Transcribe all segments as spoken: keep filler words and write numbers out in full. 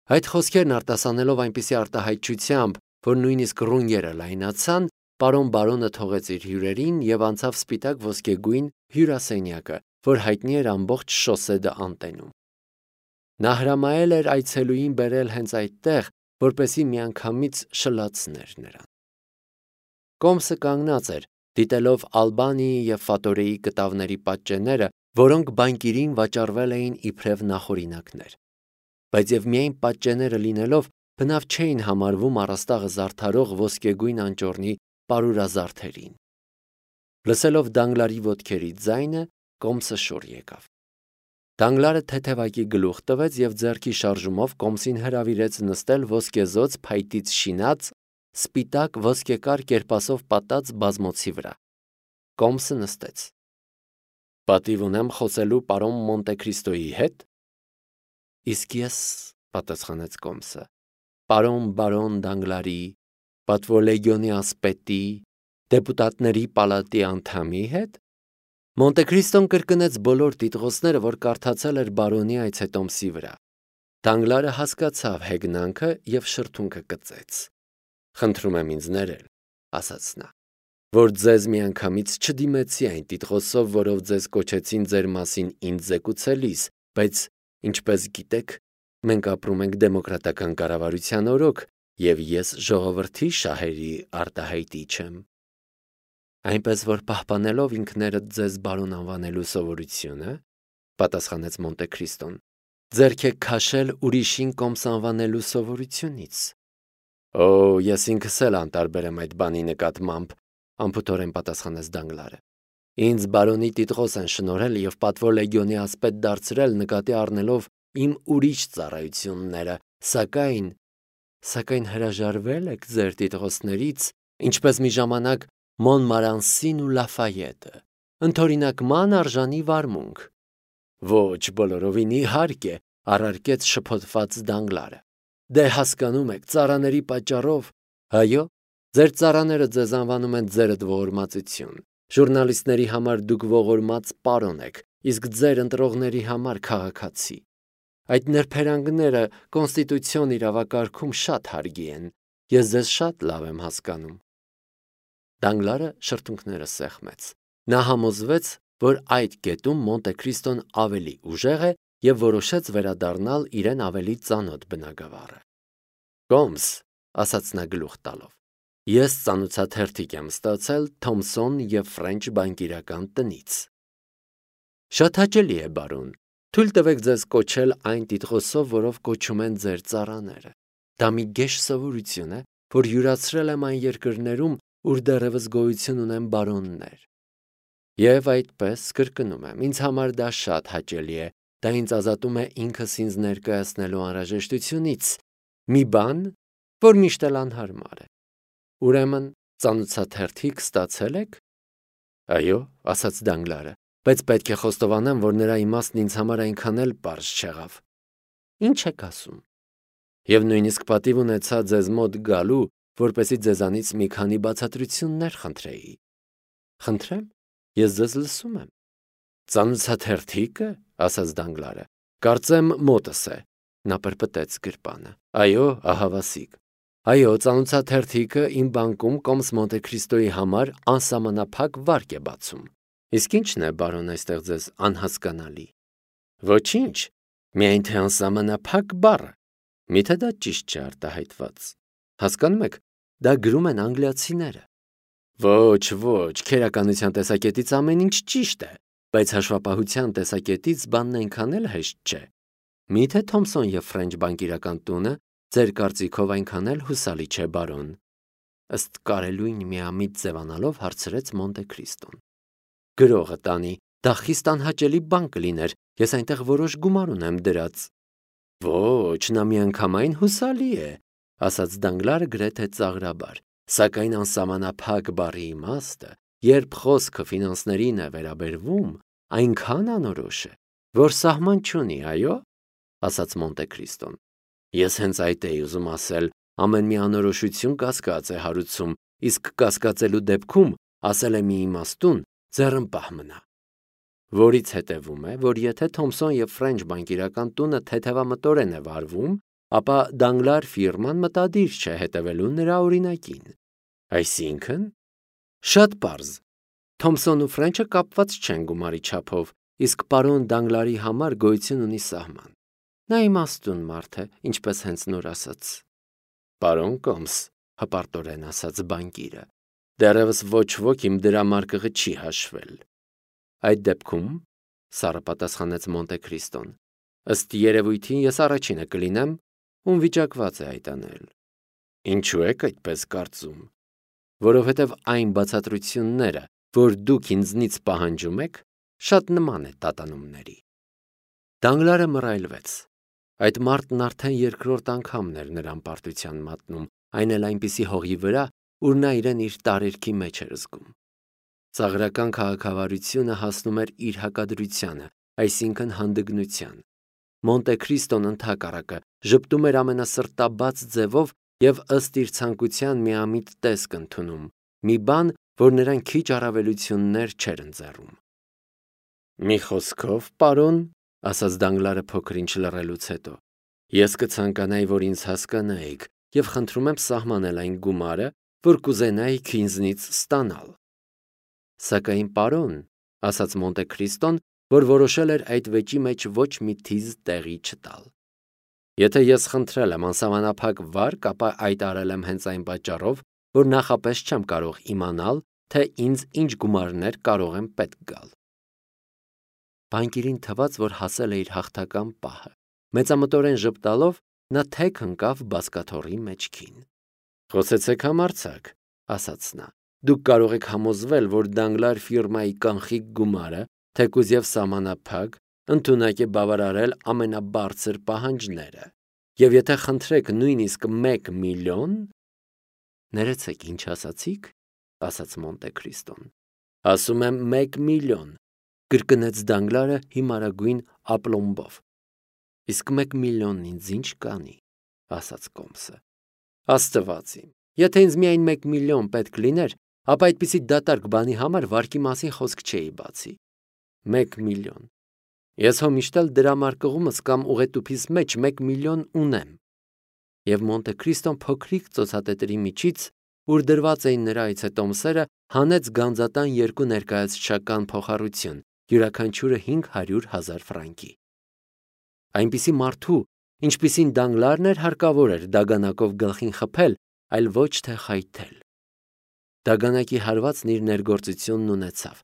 Այդ խոսքերն արտասանելով այնպիսի արտահայտչությամբ, որ նույնիսկ ռունգերը լայնացան, պարոն բարոնը թողեց իր հյուրերին եւ անցավ սպիտակ ոսկեգույն հյուրասենյակը, որ հայտնի էր ամբողջ շոսեդը անտենում։ Նա հրամայել էր այցելուին բերել հենց այդտեղ, որպեսզի միանգամից շլացներ նրան։ Կոմսը կանգնած էր, դիտելով Ալբանիի եւ Ֆատորեի կտավների պատճենները, որոնք բանկիրին վաճառվել էին իբրև նախօրինակներ։ Բայց եւ միայն պատճենները լինելով, բնավ չէին համարվում առաստաղը զարդարող ոսկեգույն անճոռնի պարուրազարդերին։ Լսելով Դանգլարի ոտքերի ձայնը, Կոմսը շուռ եկավ։ Դանգլարը թեթևակի գլուխ տվեց եւ ձեռքի շարժումով Կոմսին հրավիրեց նստել ոսկեզոծ փայտից շինած, սպիտակ ոսկեկար կերպասով պատած բազմոցի վրա։ Կոմսը նստեց։ Պատիվ ունեմ խոսելու պարոն Մոնտեքրիստոյի հետ։ Իսկ ես, պատասխանեց Կոմսը, պարոն բարոն Դանգլարի, պատվոլեգիոնի ասպետի, դեպուտատների պալատի անդամի հետ։ Մոնտեքրիստոն կրկնեց բոլոր տիտղոսները, որ կարդացել էր բարոնի այցետոմսի վրա։ Դանգլարը հասկացավ հեգնանքը եւ շրթունքը կծեց։ Խնդրում եմ ինձ ներել, ասաց նա, որ ձեզ միանգամից չդիմեցի այն տիտղոսով, որով ձեզ կոչեցին ձեր մասին ինձ զեկուցելիս, բայց, ինչպես գիտեք, մենք ապրում ենք դեմոկրատական կառավարության օրոք, եւ ես ժողովրդի շահերի արտահայտիչ եմ։ Այնպես որ պահպանելով ինքներդ ձեզ բարոն անվանելու սովորությունը, պատասխանեց Մոնտեքրիստոն, ձեռք եք քաշել ուրիշին Կոմս անվանելու սովորությունից։ Օ, ես ինքս էլ անտարբեր եմ այդ բանի նկատմամբ, անփութորեն պատասխանեց Դանգլարը։ Ինձ բարոնի տիտղոս են շնորհել եւ պատվոլեգիոնի ասպետ դարձրել նկատի առնելով իմ ուրիշ ծառայությունները, սակայն սակայն հրաժարվել եք ձեր տիտղոսներից, ինչպես մի ժամանակ Մոնմարանսին ու Լաֆայետը, ընդօրինակման արժանի վարմունք։ Ոչ, բոլորովին իհարկե, առարկեց շփոթված Դանգլարը։ Դե հասկանում եք, ծառաների պատճառով, այո, ձեր ծառաները ձեզ անվանում են ձերդ ողորմածություն։ Ժուրնալիստների համար դուք ողորմած պարոն եք, իսկ ձեր ընտրողների համար քաղաքացի։ Այդ նրբերանգները կոնստիտուցիոն իրավակարգում շատ հարգի են։ Ես ձեզ շատ լավ եմ հասկանում։ Դանգլարը շրթունքները սեղմեց։ Նա համոզվեց, որ այդ կետում Մոնտեքրիստոն ավելի ուժեղ է եւ որոշեց վերադառնալ իրեն ավելի ծանոթ բնագավառը։ Կոմս, ասաց նա գլուխ տալով, ես ծանոթաթերթիկ եմ ստացել Թոմսոն եւ Ֆրենչ բանկիրական տնից։ Շատ հաճելի է, բարոն, թույլ տվեք ձեզ կոչել այն տիտղոսով, որով կոչում են ձեր ծառաները։ Դա մի գեշ սովորություն է, որ յուրացրել եմ այն երկրներում, ուր դեռևս գոյություն ունեն բարոններ։ Եվ այդպես կրկնում եմ, ինձ համար դա շատ հաճելի է, դա ինձ ազատում է ինքս ինձ ներկայացնելու անհրաժեշտությունից, մի բան, որ միշտ էլ անհարմար է։ Ուրեմն, ծանոթաթերթիկ ստացել եք։ Այո, ասաց Դանգլարը, բայց պետք է խոստովանեմ, որ նրա իմաստն ինձ համար այնքան էլ պարզ չեղավ։ Ինչ եք ասում։ Եվ նույնիսկ պատիվ ունեցա ձեզ մոտ գալու, որպեսզի ձեզանից մի քանի բացատրություններ խնդրեի։ Խնդրեմ, ես ձեզ լսում եմ։ Ծանոթաթերթիկը, ասաց Դանգլարը, կարծեմ մոտս է։ Նա պրպտեց գրպանը։ Այո, ահավասիկ։ Այո, ծանոթաթերթիկը իմ բանկում Կոմս Մոնտեքրիստոյի համար անսահմանափակ վարկ է բացում։ Իսկ ի՞նչն է, բարոն, այստեղ ձեզ անհասկանալի։ Ոչինչ, միայն թե անսահմանափակ բառը։ Միթե դա ճիշտ չէ արտահայտված։ Հասկանում եք, դա գրում են անգլիացիները։ Ոչ, ոչ, քերականության տեսակետից ամեն ինչ ճիշտ է, բայց հաշվապահության տեսակետից բանն այնքան էլ հեշտ չէ։ Միթե Թոմսոն եւ Ֆրենչ բանկիրական տունը ձեր կարծիքով այնքան էլ հուսալի չէ, բարոն։ Ըստ կարելույն միամիտ ձևանալով հարցրեց Մոնտեքրիստոն։ Գրողը տանի, դա խիստ անհաճելի բան կլիներ, ես այնտեղ որոշ գումար ունեմ դրած։ Ոչ, նա միանգամայն հուսալի է, ասաց Դանգլարը գրեթե ծաղրաբար, սակայն անսահմանափակ բառի իմաստը, երբ խոսքը ֆինանսներին է վերաբերվում, այնքան անորոշ է, որ սահման չունի, այո, ասաց Մոնտեքրիստոն։ Ես հենց այդ էի ուզում ասել, ամեն մի անորոշություն կասկած է հարուցում, իսկ կասկածելու դեպքում, ասել է մի իմաստուն, ձեռնպահ մնա։ Որից հետևում է, որ եթե Թոմսոն եւ Ֆրենչ բանկիրական տունը թեթևամտորեն է վարվում, ապա Դանգլար ֆիրման մտադիր չէ հետևելու նրա օրինակին։ Այսինքն, շատ պարզ, Թոմսոն ու Ֆրենչը կապված չեն գումարի չափով, իսկ պարոն Դանգլարի համար գոյություն ունի սահման։ Նա իմաստուն մարդ է, ինչպես հենց նոր ասաց։ Պարոն Կոմս, հպարտորեն ասաց բանկիրը, դեռևս ոչ ոք իմ դրամարկղը չի հաշվել։ Այդ դեպքում, սառը պատասխանեց Մոնտե Քրիստոն, ըստ երևույթին ես առաջինը կլինեմ, ում վիճակված է այդ անել։ Ինչու եք այդպես կարծում։ Որովհետև այն բացատրությունները, որ դուք ինձնից պահանջում եք, շատ նման է տատանումների։ Դանգլարը մռայլվեց։ Այդ մարդն արդեն երկրորդ անգամն էր նրան պարտության մատնում, այն էլ այնպիսի հողի վրա, ուր նա իրեն իր տարերքի մեջ էր զգում։ Ծաղրական քաղաքավարությունը հասնում էր իր հակադրությանը, այսինքն հանդգնության։ Մոնտե Քրիստոն ընդհակառակը ժպտում էր ամենասրտաբաց ձևով և ըստ իր ցանկության միամիտ տեսք ընդունում, մի բան, որ նրան քիչ առավելություններ չէր ընձեռում։ Մի խոսքով, պարոն, ասաց Դանգլարը փոքր-ինչ լռելուց հետո, ես կցանկանայի, որ ինձ հասկանայիք, և խնդրում եմ սահմանել այն գումարը, որ կուզենայիք ինձնից ստանալ։ Սակայն, պարոն, ասաց Մոնտե Քրիստոն, որ որոշել էր այդ վեճի մեջ ոչ մի թիզ տեղի չտալ։ Եթե ես խնդրել եմ անսահմանափակ վարկ, ապա այդ արել եմ հենց այն պատճառով, որ նախապես չեմ կարող իմանալ, թե ինձ ինչ գումարներ կարող են պետք գալ։ Բանկիրին թվաց, որ հասել է իր հաղթական պահը։ Մեծամտորեն ժպտալով նա թեք ընկավ բազկաթոռի մեջքին։ Խոսեցեք համարձակ, ասաց նա։ Դուք կարող եք համոզվել, որ Դանգլար ֆիրմայի կանխիկ գումարը, թեկուզ և սահմանափակ, ընդունակ է բավարարել ամենաբարձր պահանջները։ Եվ եթե խնդրեք նույնիսկ մեկ միլիոն… Ներեցեք, ինչ ասացիք, ասաց Մոնտե Քրիստոն։ Ասում եմ մեկ միլիոն, կրկնեց Դանգլարը հիմարագույն ապլոմբով։ Իսկ մեկ միլիոնն ինձ ինչ կանի, ասաց Կոմսը։ Աստված իմ, եթե ինձ միայն մեկ միլիոն պետք լիներ, ապա այդպիսի դատարկ բանի համար վարկի մասին խոսք չէի բացի։ Մեկ միլիոն։ Ես հո միշտ էլ դրամարկղումս կամ ուղետուփիս մեջ մեկ միլիոն ունեմ։ Եվ Մոնտե Քրիստոն փոքրիկ ծոցատետրի միջից, ուր դրված էին նրա այցետոմսերը, հանեց գանձատան երկու ներկայացուցչական փոխառություն, յուրաքանչյուրը հինգ հարյուր հազար ֆրանկի։ Այնպիսի մարդու, ինչպիսին Դանգլարն էր, հարկավոր էր դագանակով գլխին խփել, այլ ոչ թե խայթել։ Դագանակի հարվածն իր ներգործությունն ունեցավ։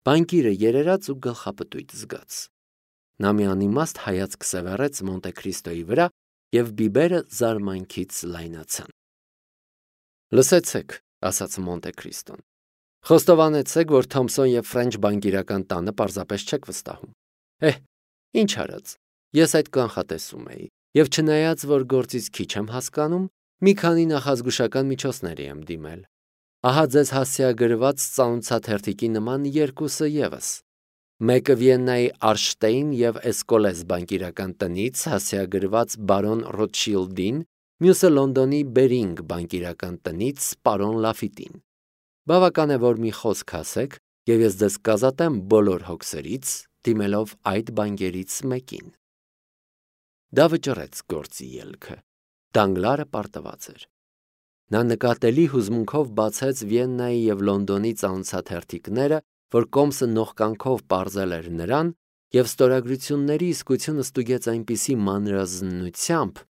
Բանկիրը երերաց ու գլխապտույտ զգաց։ Նա մի անիմաստ հայացք սևեռեց Մոնտե Քրիստոյի վրա, և բիբերը զարմանքից լայնացան։ Լսեցեք, ասաց Մոնտե Քրիստոն, խոստովանեցեք, որ Թոմսոն և Ֆրենչ բանկիրական տանը պարզապես չեք վստահում։ Էհ, ինչ արած, ես այդ կանխատեսում էի, և չնայած, որ գործից քիչ եմ հասկանում, մի քանի նախազգուշական միջոցների եմ դիմել։ Ահա ձեզ հասցեագրված ծանոթաթերթիկի նման երկուսը ևս։ Մեկը Վիեննայի Արշտեյն և Էսկոլես բանկիրական տնից հասցեագրված բարոն Ռոտշիլդին, մյուսը Լոնդոնի Բերինգ բանկիրական տնից պարոն Լաֆիտին։ Բավական է, որ մի խոսք ասեք, և ես ձեզ կազատեմ բոլոր հոգսերից, դիմելով այդ բանկերից մեկին։ Դա վճռեց գործի ելքը։ Դանգլարը պարտված էր։ Նա նկատելի հուզմունքով բացեց Վիեննայի և Լոնդոնի ծանոթաթերթիկները, որ Կոմսը նողկանքով պարզել էր նրան, և ստորագրությունների իսկությունը ստուգեց այնպիսի մանրազննությամբ,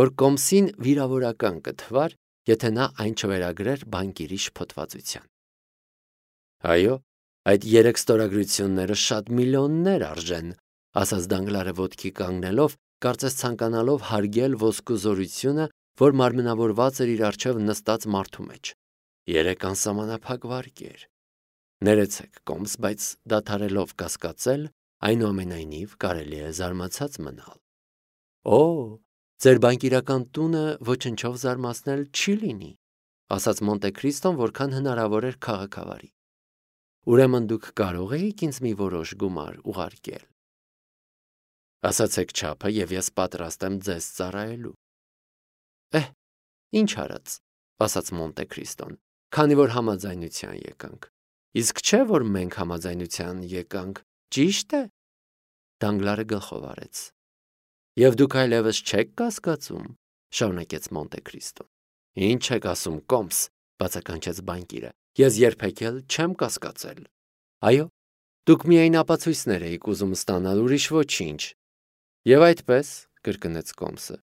որ Կոմսին վիրավորական կթվար, եթե նա այն չվերագրեր բանկիրի շփոթվածության։ Այո, այդ երեք ստորագրությունները շատ միլիոններ արժեն, ասաց Դանգլարը ոտքի կանգնելով, կարծես ցանկանալով հարգել ոսկու զորությունը, որ մարմնավորված էր իր առջև նստած մարդու մեջ։ Երեք անսահմանափակ վարկեր։ Ներեցեք, Կոմս, բայց դադարելով կասկածել, այնուամենայնիվ կարելի է զարմացած մնալ։ Օ, ձեր բանկիրական տունը ոչնչով զարմացնել չի լինի, ասաց Մոնտե Քրիստոն, որքան հնարավոր էր քաղաքավարի։ Ուրեմն դուք կարող էիք ինձ մի որոշ գումար ուղարկել։ Ասացեք չափը, և ես պատրաստ եմ ձեզ ծառայելու։ Էհ, ինչ արած, ասաց Մոնտե Քրիստոն, քանի որ համաձայնության եկանք։ Իսկ չէ, որ մենք համաձայնության եկանք, ճի՞շտ է։ Դանգլարը գլխով արեց։ Եվ դուք այլևս չեք կասկածում, շարունակեց Մոնտե Քրիստոն։ Ինչ եք ասում, կոմս, բացականչեց բանկիրը։ Ես երբեք էլ չեմ կասկածել։ Այո, դուք միայն ապացույցներ էիք ուզում ստանալ, ուրիշ ոչինչ։ Եվ այդպես, կրկնեց կոմսը,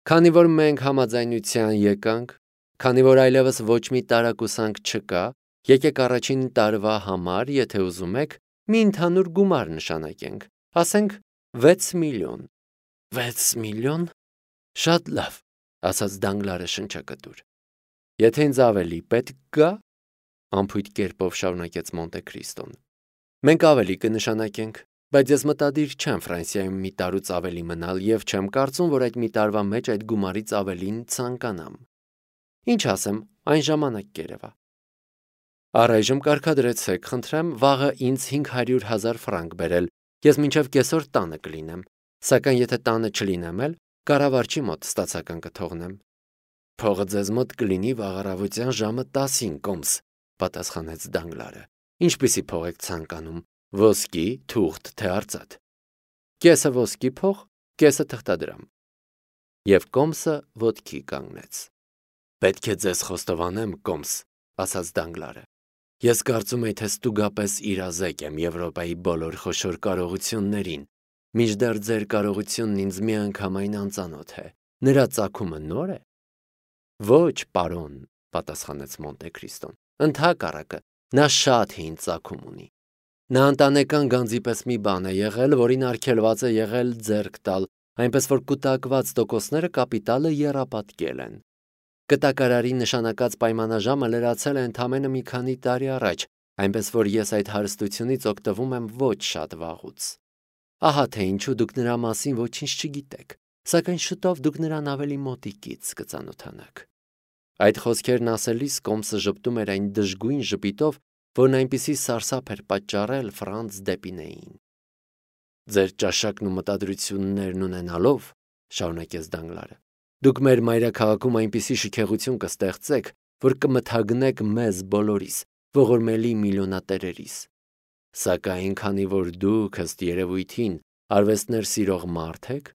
քանի որ մենք համաձայնության եկանք, քանի որ այլևս ոչ մի տարակուսանք չկա, եկեք առաջին տարվա համար, եթե ուզում եք, մի ընդհանուր գումար նշանակենք, ասենք վեց միլիոն։ Վեց միլիոն։ Շատ լավ, ասաց Դանգլարը շնչակտուր։ Եթե ինձ ավելի պետք գա, անփույթ կերպով շարունակեց Մոնտե Քրիստոն, մենք ավելի կնշանակենք, բայց ես մտադիր չեմ Ֆրանսիայում մի տարուց ավելի մնալ եւ չեմ կարծում, որ այդ մի տարվա մեջ այդ գումարից ավելին ցանկանամ։ Ինչ ասեմ, այն ժամանակ կերևա։ Առայժմ կարգադրեցեք, խնդրեմ, վաղը ինձ հինգ հարյուր հազար ֆրանկ բերել, ես մինչև կեսօր տանը կլինեմ, սակայն եթե տանը չլինեմ էլ, կառավարչի մոտ ստացական կթողնեմ։ Փողը ձեզ մոտ կլինի վաղ առավոտյան ժամը տասին, կոմս, պատասխանեց Դանգլարը։ Ինչպիսի փող եք ցանկանում, ոսկի, թուղթ, թե արծաթ։ Կեսը ոսկի փող, կեսը թղթադրամ։ Եվ կոմսը ոտքի կանգնեց։ Պետք է ձեզ խոստովանեմ, կոմս, ասաց Դանգլարը։ Ես կարծում եի, թե ստուգապես իրազեկ եմ Եվրոպայի բոլոր խոշոր կարողություններին, մինչդեռ ձեր կարողությունն ինձ միանգամայն անծանոթ է։ Նրա ծագումը նոր է։ Ոչ, պարոն, պատասխանեց Մոնտե Քրիստոն։ Ընդհակառակը, նա շատ հին ծագում ունի։ Նա ընտանեկան գանձի պես մի բան է եղել, որին արգելված է եղել ձեռք տալ, այնպես որ կուտակված տոկոսները կապիտալը եռապատկել են։ Կտակարարի նշանակած պայմանաժամը լրացել է ընդամենը մի քանի տարի առաջ, այնպես որ ես այդ հարստությունից օգտվում եմ ոչ շատ վաղուց։ Ահա թե ինչու դուք նրա մասին ոչինչ չգիտեք, սակայն շուտով դուք նրան ավելի մոտիկից կծանոթանաք։ Այդ խոսքերն ասելիս կոմսը ժպտում էր այն դժգույն ժպիտով, որն այնպիսի սարսափ էր պատճառել Ֆրանց Դեպինեին։ Ձեր ճաշակն ու մտադրություններն ունենալով, շարունակեց Դանգլարը, դուք մեր մայրաքաղաքում այնպիսի շքեղություն կստեղծեք, որ կմթագնեք մեզ բոլորիս, ողորմելի միլիոնատերերիս։ Սակայն քանի որ դուք ըստ երևույթին արվեստներ սիրող մարդ եք,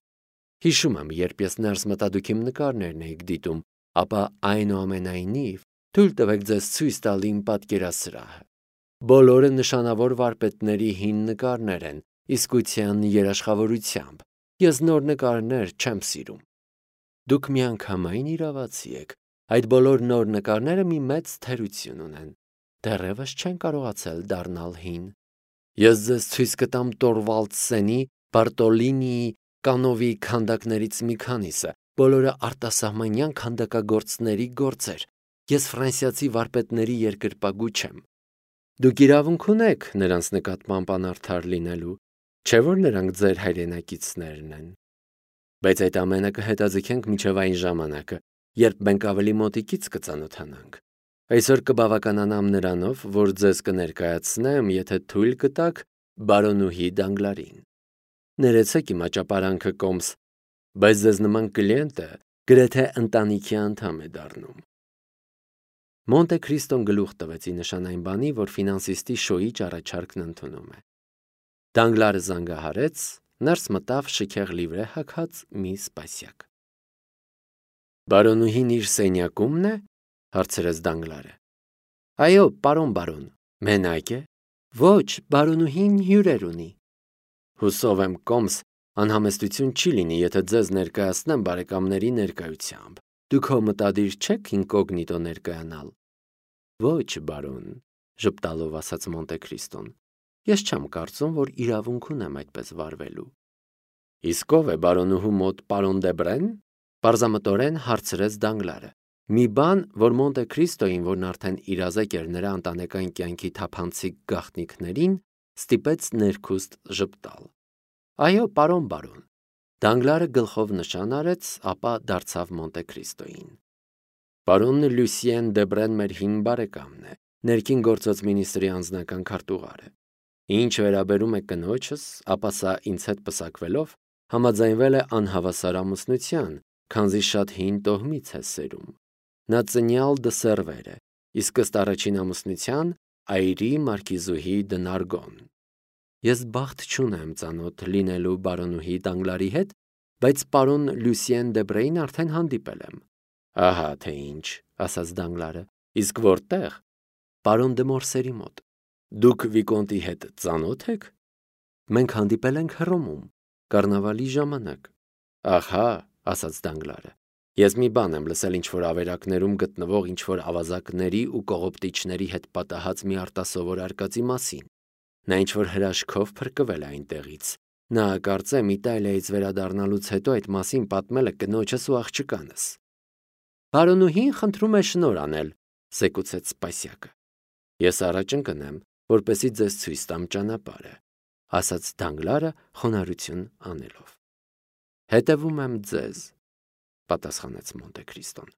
հիշում եմ, երբ ես ներս մտա դուք իմ նկարներն էիք դիտում, ապա այնուամենայնիվ թույլ տվեք ձեզ ցույց տալ իմ պատկերասրահը։ Բոլորը նշանավոր վարպետների հին նկարներ են, իսկության երաշխավորությամբ։ Ես նոր նկարներ չեմ սիրում։ Դուք միանգամայն իրավացի եք, այդ բոլոր նոր նկարները մի մեծ թերություն ունեն, դեռևս չեն կարողացել դառնալ հին։ Ես ձեզ ցույց կտամ Տորվալդսենի, Բարտոլինիի, Կանովի քանդակներից մի քանիսը, բոլորը արտասահմանյան քանդակագործների գործեր։ Ես ֆրանսիացի վարպետների երկրպագու չեմ։ Դուք իրավունք ունեք նրանց նկատմամբ անարդար լինելու, չէ՞ որ նրանք ձեր հայրենակիցներն են։ Բայց այդ ամենը կհետաձգենք մինչև այն ժամանակը, երբ մենք ավելի մոտիկից կծանոթանանք։ Այսօր կբավականանամ նրանով, որ ձեզ կներկայացնեմ, եթե թույլ կտաք, բարոնուհի Դանգլարին։ Ներեցեք իմ աճապարանքը, կոմս, բայց ձեզ նման կլիենտը գրեթե ընտանիքի անդամ է դառնում։ Մոնտե Քրիստոն գլուխ տվեց ի նշան այն բանի, որ ֆինանսիստի շոյիչ առաջարկն ընդունում է։ Դանգլարը զանգահարեց, ներս մտավ շքեղ լիվրե հագած մի սպասյակ։ Բարոնուհին իր սենյակումն է, հարցրեց Դանգլարը։ Այո, պարոն բարոն, մենակ է։ Ոչ, բարոնուհին հյուրեր ունի։ Հուսով եմ, կոմս, անհամեստություն չի լինի, եթե ձեզ ներկայացնեմ բարեկամների ներկայությամբ։ Դուք հո մտադիր չեք ինկոգնիտո ներկայանալ։ Ոչ, բարոն, ժպտալով ասաց Մոնտե Քրիստոն։ Ես չեմ կարծում, որ իրավունք ունեմ այդպես վարվելու։ Իսկ ով է բարոնուհու մոտ պարոն Դեբրեն։ Պարզամտորեն հարցրեց Դանգլարը։ Մի բան, որ Մոնտե Քրիստոին, որն արդեն իրազեկ էր նրա ընտանեկան կյանքի թափանցիկ գաղտնիքներին, ստիպեց ներքուստ ժպտալ։ Այո, պարոն բարոն։ Դանգլարը գլխով նշան արեց, ապա դարձավ Մոնտե Քրիստոին։ Պարոն Լյուսիեն Դեբրեն մեր հին բարեկամն է, ներքին գործոց մինիստրի անձնական քարտուղարը։ Ինչ վերաբերում է կնոջս, ապա սա ինձ հետ պսակվելով համաձայնվել է անհավասար ամուսնության, քանզի շատ հին տոհմից է սերում։ Նա ծնյալ դսերվեր է, իսկ ըստ առաջին ամուսնության այրի մարկիզուհի Դնարգոն։ Ես բախտ չունեմ ծանոթ լինելու բարոնուհի Դանգլարի հետ, բայց պարոն Լյուսիեն Դեբրեին արդեն հանդիպել եմ։ Ահա թե ինչ, ասաց Դանգլարը, իսկ որտեղ։ Պարոն դե Մորսերի մոտ։ Դուք վիկոնտի հետ ծանոթ եք։ Մենք հանդիպել ենք Հռոմում, կառնավալի ժամանակ։ Ահա, ասաց Դանգլարը, ես մի բան եմ լսել ինչ-որ ավերակներում գտնվող ինչ-որ ավազակների ու կողոպտիչների հետ պատահած մի արտասովոր արկածի մասին։ Նա ինչ-որ հրաշքով փրկվել է այնտեղից։ Նա կարծեմ Իտալիայից վերադառնալուց հետո այդ մասին պատմել է կնոջս ու աղջկանս։ Բարոնուհին խնդրում է շնոր անել, զեկուցեց Սպասյակը։ Ես առաջ ընկնեմ, որպեսզի ձեզ ցույց տամ ճանապարհը, ասաց Դանգլարը խոնարհություն անելով։ Հետևում եմ ձեզ, պատասխանեց Մոնտե Քրիստոն։